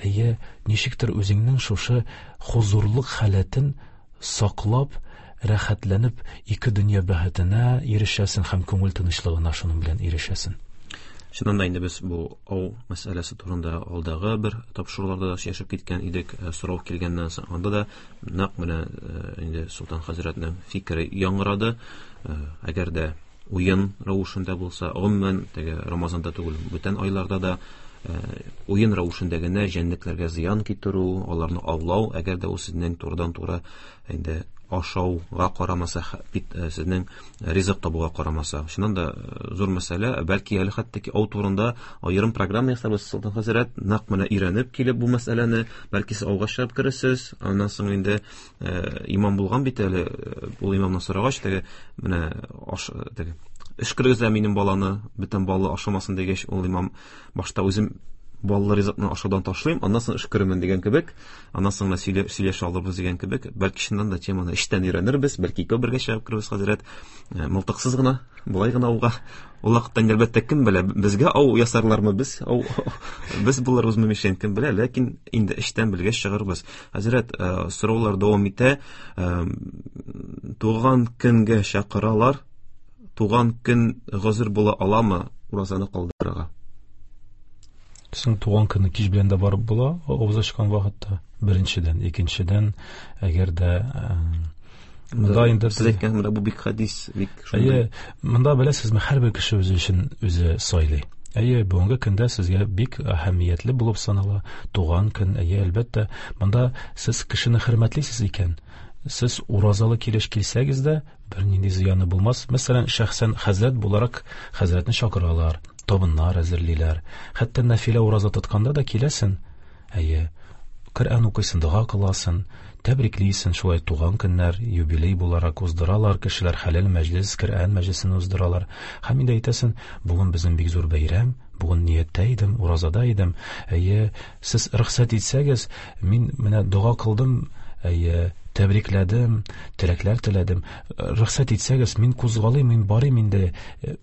[SPEAKER 5] әйе, ничектер үзеңнең шушы хозурлык халәтен саклап, рәхәтләнеп, ике дөнья бәхетенә ирешәсең һәм күңел тынычлыгына шуның белән ирешәсең.
[SPEAKER 4] Чыннан да инде без бу ау мәсьәләсе турында алдагы бер тапшыруларда да сөйләшеп киткән идек, сорау килгәннән соң анда да нәкъ менә инде Солтан хәзрәтнең фикере яңгырады. Әгәр дә уен рәвешендә булса, гомумән теге Рамазанда түгел, бүтән айларда да уен рәвешендә генә җәнлекләргә зыян китерү, аларны аулау, әгәр дә ул сезнең турыдан-туры инде ашауга карамаса, бит сезнең ризык табуга карамаса. Чыннан да зур мәсьәлә, бәлки әле хәтта ки ау турында аерым программа ясарбыз, Солтан хәзрәт, нәкъ менә өйрәнеп килеп бу мәсьәләне, бәлки сез ауга чыгып керерсез, аннан соң инде имам булган бит әле, ул имамнан сорагач, теге менә аш, теге эшкергез дә минем баланы, бөтен балы ашамасын дигәч, ул имам башта үзем баллы ризыкны ашаудан ташлыйм, аннан соң эшкерермен дигән кебек, аннан соң сөйләшә алырбыз дигән кебек, бәлки чыннан да теманы эчтән өйрәнербез, бәлки икәү бергә чыгып керербез, хәзрәт, мылтыксыз гына, болай гына ауга. Ул вакытта инде әлбәттә кем белә, безгә ау ясарлармы, без ау, без булырбызмы мишень, кем белә, ләкин инде эчтән белгәч чыгарбыз. Хәзрәт, сораулар дәвам итә. Туган көнгә чакыралар. Туган көн гозер була аламы уразаны калдырырга?
[SPEAKER 5] Син туган көнне кич белән дә барып була, авыз ачкан вакытта. Беренчедән, икенчедән, әгәр дә монда инде
[SPEAKER 4] сез әйткән менә бу бик хадис, бик шундый.
[SPEAKER 5] Әйе, монда беләсезме, һәрбер кеше үзе өчен үзе сайлый. Әйе, бүгенге көндә сезгә бик әһәмиятле булып санала туган көн. Әйе, әлбәттә, монда сез кешене хөрмәтлисез икән, сез уразалы килеш килсәгез дә бернинди зыяны булмас. Мәсәлән, шәхсән хәзрәт буларак хәзрәтне чакыралар, табыннар әзерлиләр. Хәтта нәфилә ураза тотканда да киләсен. Әйе, Коръән укыйсың, дога кыласың, тәбриклисең, шулай туган көннәр, юбилей буларак уздыралар, кешеләр хәләл мәҗлес, Коръән мәҗлесен уздыралар. Һәм инде әйтәсең, бүген безнең бик зур бәйрәм, бүген нияттә идем, уразада идем. Әйе, сез рөхсәт итсәгез, мин менә дога кылдым, әйе, тәбрикләдем, теләкләр теләдем. Рөхсәт итсәгез, мин кузгалыйм, мин барыйм инде,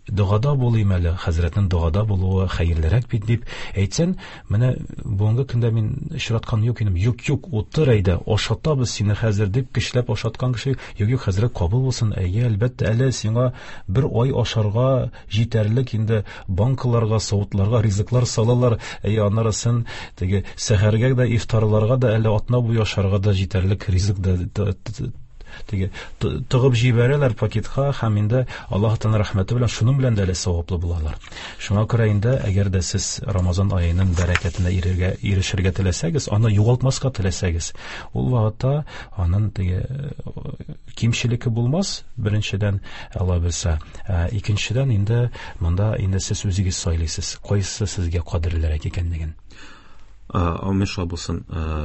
[SPEAKER 5] догада булыйм әле, хәзрәтнең догада булуы хәерлерәк бит дип әйтсәң, менә бүгенге көндә мин очраткан юк инем, юк, юк, утыр әйдә, ашатабыз сине хәзер дип көчләп ашаткан кеше, юк, юк, хәзрәт кабул булсын, әйе, әлбәттә, әле сиңа бер ай ашарга җитәрлек инде банкаларга, савытларга ризыклар салалар, әйе, аннарысын теге сәхәргә дә, ифтарларга да, әле атна буе ашарга да җитәрлек ризык да теге тыгып җибәрәләр пакетка, һәм инде Аллаһ Тәгалә рәхмәте белән шуның белән дә әле саваплы булалар. Шуңа күрә инде, әгәр дә сез Рамазан аеның бәрәкәтенә ирергә, ирешергә теләсәгез, аны югалтмаска теләсәгез, ул вакытта аның теге кимчелеге булмас, беренчедән, Алла белсә. Икенчедән инде монда инде сез үзегез сайлыйсыз, кайсы сезгә кадерлерәк икәнлеген.
[SPEAKER 4] Амин шулай булсын.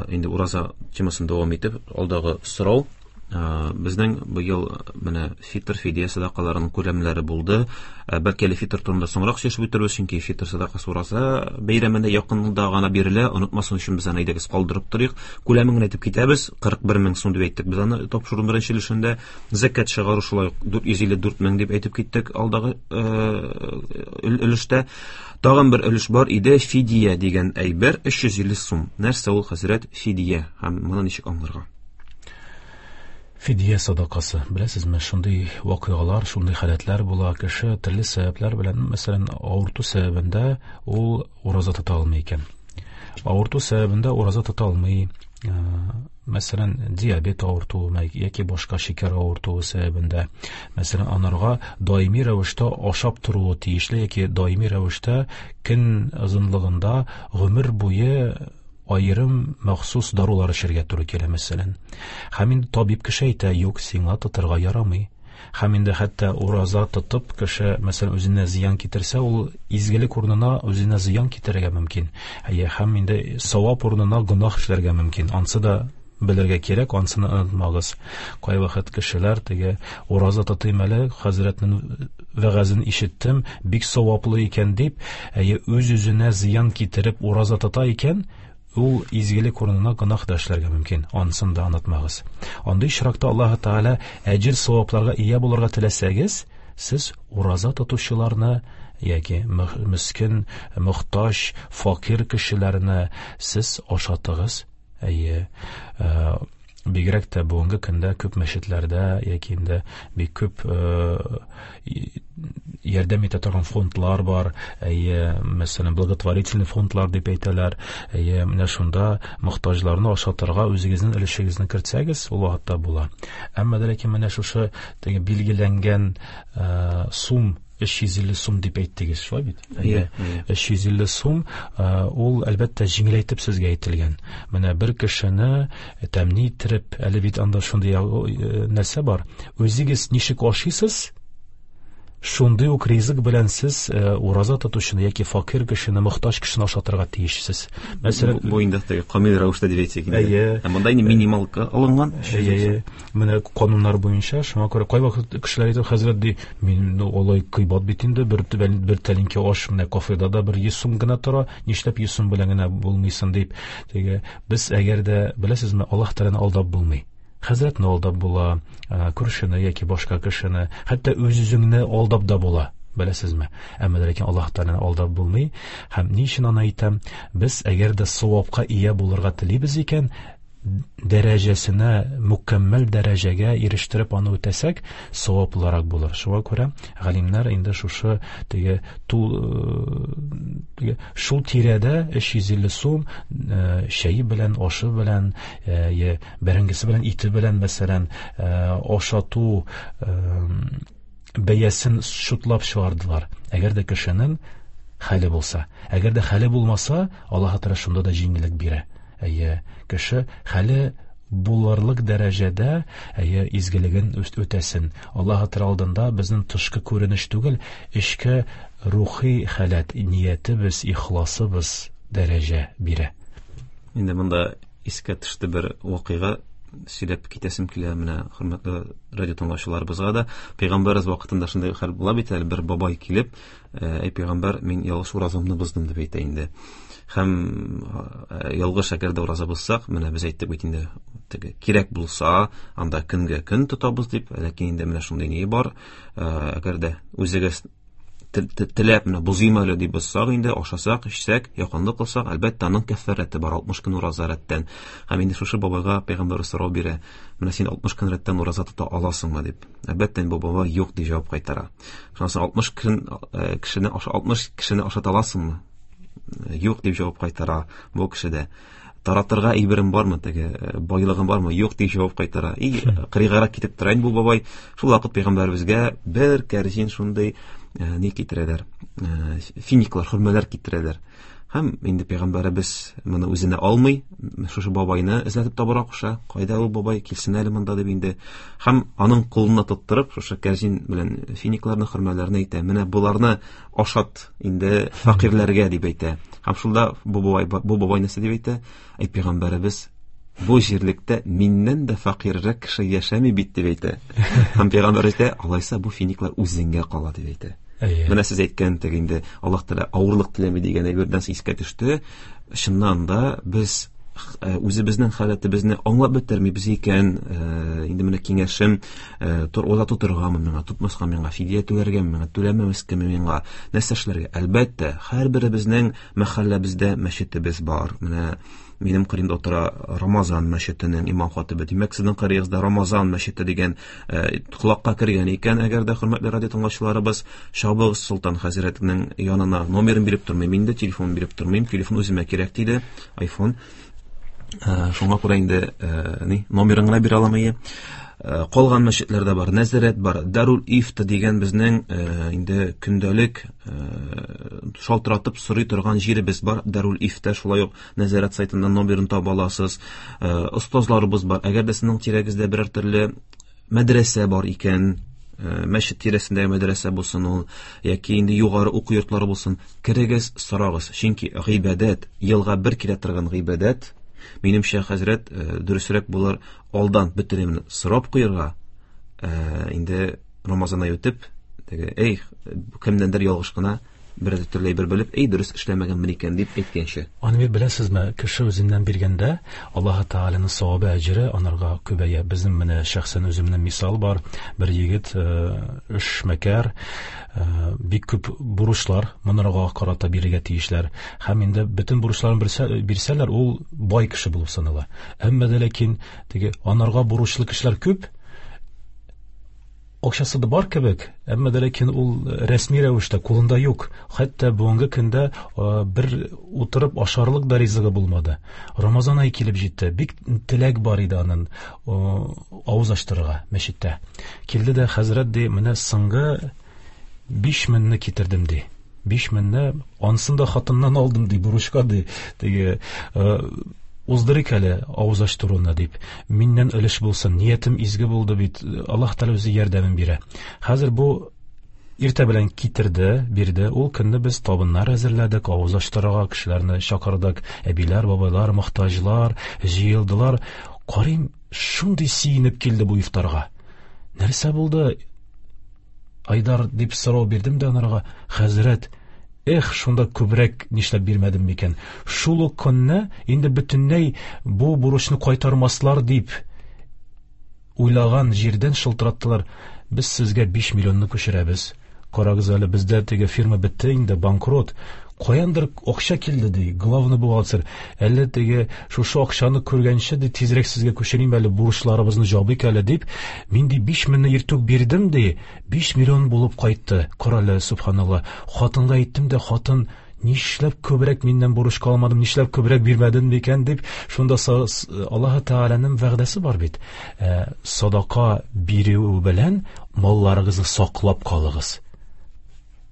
[SPEAKER 4] Инде ураза темасын дәвам итеп, алдагы сорау. Безнең быел менә фитр, фидия садакаларының күләмнәре булды. Бәлки әле фитр турында соңрак сөйләшеп үтербез, чөнки фитр садакасы ураза бәйрәмендә якында гына бирелә. Онытмасын өчен без аны әйдәгез калдырып торыйк. Күләмен генә әйтеп китәбез. Кырык бер мең сум дип әйттек без аны тапшыруның беренче өлешендә. Зәкят чыгару шулай ук дүрт йөз илле дүрт мең дип әйтеп киттек алдагы өлештә. Тагын бер өлеш бар иде, фидия дигән әйбер, өч йөз илле сум. Нәрсә ул, хәзрәт, фидия һәм моны ничек аңларга?
[SPEAKER 5] Фидия садакасы. Беләсезме, шундый вакыйгалар, шундый халәтләр була, кеше төрле сәбәпләр белән, мәсәлән, авырту сәбәбендә ул ураза тота алмый икән. Авырту сәбәбендә ураза тота алмый, мәсәлән, диабет авыртуы яки башка шикәр авыртуы сәбәбендә, мәсәлән, анарга даими рәвештә ашап торуы тиешле яки даими рәвештә көн озынлыгында гомер буе аерым махсус дарулар эчәргә туры килә, мәсәлән. Һәм инде табиб кеше әйтә, юк, сиңа тотырга ярамый. Һәм инде хәтта ураза тотып кеше, мәсәлән, үзенә зыян китерсә, ул изгелек урынына үзенә зыян китерергә мөмкин. Әйе, һәм инде савап урынына гөнаһ эшләргә мөмкин. Ансы да белергә кирәк, ансыны онытмагыз. Кайвакыт кешеләр теге ураза тотыйм әле, хәзрәтнең вәгазен ишеттем, бик саваплы икән дип, әйе, үз-үзенә зыян китереп ураза тота икән, ул изгелек урынына гөнаһ да эшләргә мөмкин. Анысын да онытмагыз. Андый очракта Аллаһ Тәгалә әҗер савапларга ия булырга теләсәгез, сез ураза тотучыларны яки мөскен, мохтаҗ, факир кешеләрне сез ашатыгыз. Әйе, бигрәк тә бүгенге көндә күп мәчетләрдә яки инде бик күп ярдәм итә торган фондлар бар. Әйе, мәсәлән, благотворительный фондлар дип әйтәләр. Әйе, менә шунда мохтаҗларны ашатырга үзегезнең өлешегезне кертсәгез, ул вакытта була. Әмма дә ләкин менә шушы теге билгеләнгән сум, өч йөз илле сум дип әйттегез, шулай бит?
[SPEAKER 4] Әйе,
[SPEAKER 5] өч йөз илле сум, ул әлбәттә җиңеләйтеп сезгә әйтелгән. Менә бер кешене тәмле иттереп, әле бит анда шундый нәрсә бар. Үзегез ничек ашыйсыз, шундый ук ризык белән сез ураза тотучыны яки факир кешене, мохтаҗ кешене ашатырга тиешсез. Мәсәлән,
[SPEAKER 4] бу инде теге камил рәвештә дип әйтсәк инде.
[SPEAKER 5] Әйе.
[SPEAKER 4] Ә монда инде минималка алынган.
[SPEAKER 5] Әйе. Менә кануннар буенча, шуңа күрә кайвакыт кешеләр әйтә, хәзрәт ди, мин алай кыйбат бит инде, бер бер тәлинкә аш менә кафеда да бер йөз сум гына тора, нишләп йөз сум белән генә булмыйсың дип. Теге без әгәр дә беләсезме, Аллаһ Тәгаләне алдап булмый. Хәзрәтне алдап була, күршене яки башка кешене, хәтта үз-үзеңне алдап да була, беләсезме? Әмма ләкин Аллаһ Тәгаләне алдап булмый. Һәм ни өчен аны әйтәм? Без әгәр дә савапка ия булырга телибез икән, дәрәҗәсенә, мөкәммәл дәрәҗәгә ирештереп аны үтәсәк, саваплырак булыр. Шуңа күрә галимнәр инде шушы теге тул теге шул тирәдә өч йөз илле сум чәе белән, ашы белән, бәрәңгесе белән, ите белән, мәсәлән, ашату бәясен шутлап чыгардылар. Әгәр дә кешенең хәле булса, әгәр дә хәле булмаса, Аллаһ Тәгалә шунда да җиңеллек бирә. Әйе, кеше хәле булырлык дәрәҗәдә, әйе, изгелеген үтәсен. Аллаһ Тәгалә алдында безнең тышкы күренеш түгел, эчке рухи халәт, ниятебез, ихласыбыз дәрәҗә бирә.
[SPEAKER 4] Инде монда искә төште бер вакыйга, сөйләп китәсем килә менә хөрмәтле радио тыңлаучыларыбызга да. Пәйгамбәребез вакытында шундый хәл була бит әле, бер бабай килеп, әй пәйгамбәр, мин ялгыш уразамны боздым дип әйтә инде. Һәм ялгыш әгәр дә ураза бозсак, менә без әйттек бит инде, теге кирәк булса, анда көнгә көн тотабыз дип, ләкин инде менә шундый ни бар, әгәр дә үзегез теләп менә бозыйм әле дип бозсак инде, ашасак, эчсәк, якынлык кылсак, әлбәттә аның кәффарәте бар, алтмыш көн ураза рәттән. Һәм инде шушы бабайга пәйгамбәр сорау бирә, менә син алтмыш көн рәттән ураза тота аласыңмы дип. Әлбәттә бу бабай юк дип җавап кайтара. Шуннан соң алтмыш көн кешене алтмыш кешене ашата аласыңмы? Юк дип җавап кайтара бу кеше дә. Таратырга әйберем бармы, теге байлыгым бармы? Юк дип җавап кайтара. И кырыйгарак китеп тора инде бу бабай. Шул вакыт пәйгамбәребезгә бер кәрзин шундый ни китерәләр, финиклар, хөрмәләр китерәләр. Һәм инде пәйгамбәребез моны үзенә алмый, шушы бабайны эзләтеп табарга куша. Кайда ул бабай, килсен әле монда дип инде. Һәм аның кулына тоттырып, шушы кәрзин белән финикларны, хөрмәләрне әйтә. Менә боларны ашат инде фәкыйрьләргә дип әйтә. Һәм шунда бу бабай, бу бабай нәрсә дип әйтә? Әй пәйгамбәребез, бу җирлектә миннән дә фәкыйрьрәк кеше яшәми бит дип әйтә. Һәм пәйгамбәр әйтә, алайса бу финиклар үзеңгә кала дип әйтә. Менә сез әйткән теге инде Аллаһ Тәгалә авырлык теләми дигән әйбердән искә төште. Чыннан да без үзебезнең халәтебезне аңлап бетермибез икән, инде менә киңәшем, ураза тотыргамы миңа, тотмаска миңа, фидия түләргәме миңа, түләмәскәме миңа, нәрсә эшләргә? Әлбәттә, һәрберебезнең мәхәлләбездә мәчетебез бар. Менә минем кырымда утыра Рамазан мәчетенең имам хатибы. Димәк, сезнең кырыгызда Рамазан мәчете дигән колакка кергән икән, әгәр дә хөрмәтле радио тыңлаучыларыбыз, Шабыгыз Солтан хәзрәтнең янына номерын биреп тормыйм инде, телефон биреп тормыйм, телефон үземә кирәк диде, iPhone. Шуңа күрә инде ни номерын гына бирә аламын. Калган мәчетләр дә бар, Нәзарәт бар, Дарул Ифта дигән безнең инде көндәлек шалтыратып сорый торган җиребез бар. Дарул Ифта, шулай ук Нәзарәт сайтыннан номерын таба аласыз. Остазларыбыз бар. Әгәр дә сезнең тирәгездә берәр төрле мәдрәсә бар икән, мәчет тирәсендәге мәдрәсә булсын ул, яки инде югары уку йортлары булсын, керегез, сорагыз. Чөнки гыйбадәт, елга бер килә торган гыйбадәт. Минемчә, хәзрәт, дөресрәк булыр алдан бөтенен сорап куярга, инде Рамазан ае үтеп, теге, эй, кемнәндер ялгыш кына бер төрле әйбер белеп, эй, дөрес эшләмәгәнмен икән дип әйткәнче.
[SPEAKER 5] Аны бит беләсезме, кеше үзеннән биргәндә Аллаһ Тәгаләнең савабы, әҗере анарга күбәя. Безнең менә шәхсән үземнең мисал бар. Бер егет, эшмәкәр, бик күп бурычлар монарга карата бирергә тиешләр. Һәм инде бөтен бурычларын бирсәләр, ул бай кеше булып санала. Әмма дә ләкин теге анарга бурычлы кешеләр күп, акчасы да бар кебек, әмма дә ләкин ул рәсми рәвештә кулында юк. Хәтта бүгенге көндә бер утырып ашарлык да ризыгы булмады. Рамазан ае килеп җитте. Бик теләк бар иде аның авыз ачтырырга мәчеттә. Килде дә хәзрәт ди, менә соңгы биш меңне китердем ди. Биш меңне ансын да хатыннан алдым ди, бурычка ди. Теге уздырыйк әле авыз ачтыруны дип. Миннән өлеш булсын, ниятем изге булды бит. Аллаһ Тәгалә үзе ярдәмен бирә. Хәзер бу иртә белән китерде, бирде. Ул көнне без табыннар әзерләдек, авыз ачтырырга кешеләрне чакырдык. Әбиләр, бабайлар, мохтаҗлар җыелдылар. Карыйм, шундый сөенеп килде бу ифтарга. Нәрсә булды? Айдар дип сорау бирдем дә анарга, хәзрәт, эх, шунда күбрәк нишләп бирмәдем микән? Шул ук көнне инде бөтенләй бу бурычны кайтармаслар дип уйлаган җирдән шылтыраттылар. Без сезгә биш миллионны күчерәбез. Карагыз әле, бездә теге фирма бетте инде, банкрот. Каяндыр акча килде ди, главный бухгалтер. Әллә теге шушы акчаны күргәнче ди, тизрәк сезгә күчерим әле, бурычларыбызны җабыйк әле дип, мин ди биш меңне иртүк бирдем ди, биш миллион булып кайтты. Карале, субханалла. Хатынга әйттем дә, хатын нишләп күбрәк миннән бурычка алмадым, нишләп күбрәк бирмәдем микән дип, шунда Аллаһ Тәгаләнең вәгъдәсе бар бит. Садака бирү белән малларыгызны саклап калыгыз.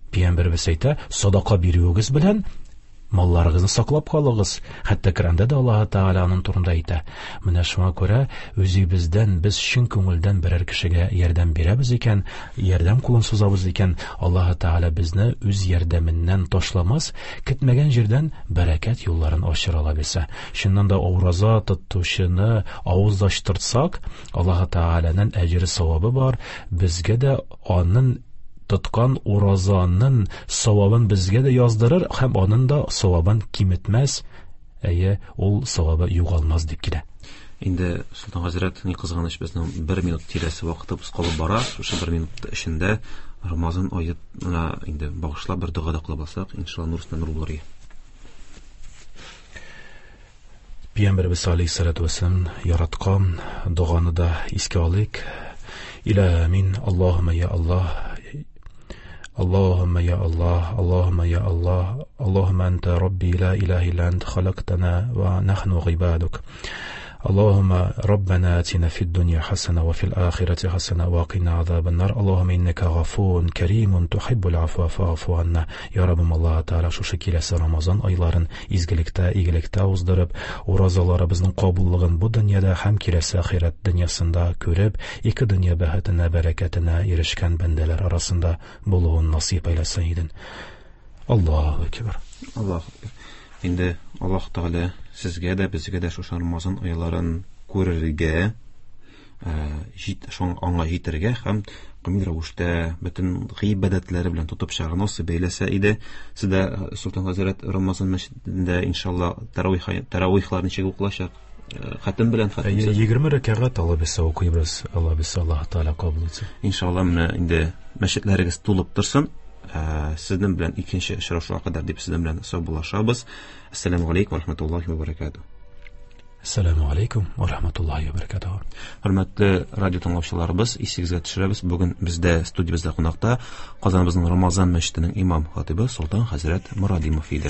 [SPEAKER 5] Пәйгамбәребез әйтә, садака бирүегез белән малларыгызны саклап калыгыз. Хәтта Коръәндә дә Аллаһ Тәгалә аның турында әйтә. Менә шуңа күрә үзебездән без чын күңелдән берәр кешегә ярдәм бирәбез икән, ярдәм кулын сузабыз икән, Аллаһ Тәгалә безне үз ярдәменнән ташламас, көтмәгән җирдән бәрәкәт юлларын ачыр ала белсә. Чыннан да ураза тотучыны авыздаштырсак, Аллаһ Тәгаләнең әҗере савабы бар, безгә дә аның тоткан уразаның савабын безгә дә яздырыр һәм аның да савабын киметмәс, әйе, ул савабы югалмас дип килә.
[SPEAKER 4] Инде Солтан хәзрәт, ни кызганыч, безнең бер минут тирәсе вакытыбыз калып бара. Шушы бер минут эчендә Рамазан аена инде багышлап бер дога да кылып алсак, иншалла нур өстенә нур булыр.
[SPEAKER 5] Пәйгамбәребез алейһиссалату вәссәлам яраткан доганы да искә алыйк. Илә амин. Аллаһумма я Аллаһ. اللهم يا الله، اللهم يا الله، اللهم أنت ربي لا إله إلا أنت، خلقتنا ونحن عبادك. اللهم ربنا آتنا في الدنيا حسنة وفي الآخرة حسنة وقنا عذاب النار. اللهم إنك غفور كريم تحب العفو فاعف عنا. Ya Rabbim, Аллаһ Тәгалә шушы киләсе Рамазан айларын изгелектә, игелектә уздырып, уразаларыбызның кабуллыгын бу дөньяда һәм киләсе ахирәт дөньясында күреп, ике дөнья бәхетенә, бәрәкәтенә ирешкән бәндәләр арасында булуын насыйп әйләсен иден. Аллаһу акбар.
[SPEAKER 4] Аллаһу акбар. Инде Аллаһ Тәгалә сезгә дә, безгә дә шушы Рамазан айларын күрергә, җит, шуңа аңа җитәргә һәм камил рәвештә бөтен гыйбадәтләре белән тотып чыгарга насыйп әйләсә иде. Сездә Солтан хәзрәт Рамазан мәчетендә иншалла таравих, таравихлар ничек укылачак? Хатым белән хатымсыз.
[SPEAKER 5] Егерме рәкәгать Алла бирсә укыйбыз. Алла бирсә, Аллаһ Тәгалә кабул итсен.
[SPEAKER 4] Иншалла, менә инде мәчетләрегез тулып торсын. Сезнең белән икенче очрашуга кадәр дип сезнең белән саубуллашабыз. Ассаламу алейкум ва рахматуллахи ва баракатуһ.
[SPEAKER 5] Ассаламу алейкум ва рахматуллахи ва баракатуһ.
[SPEAKER 4] Хөрмәтле радио тыңлаучыларыбыз, исегезгә төшерәбез, бүген бездә студиябездә кунакта Казаныбызның Рамазан мәчетенең имам хатибы Солтан хәзрәт Морадимов иде.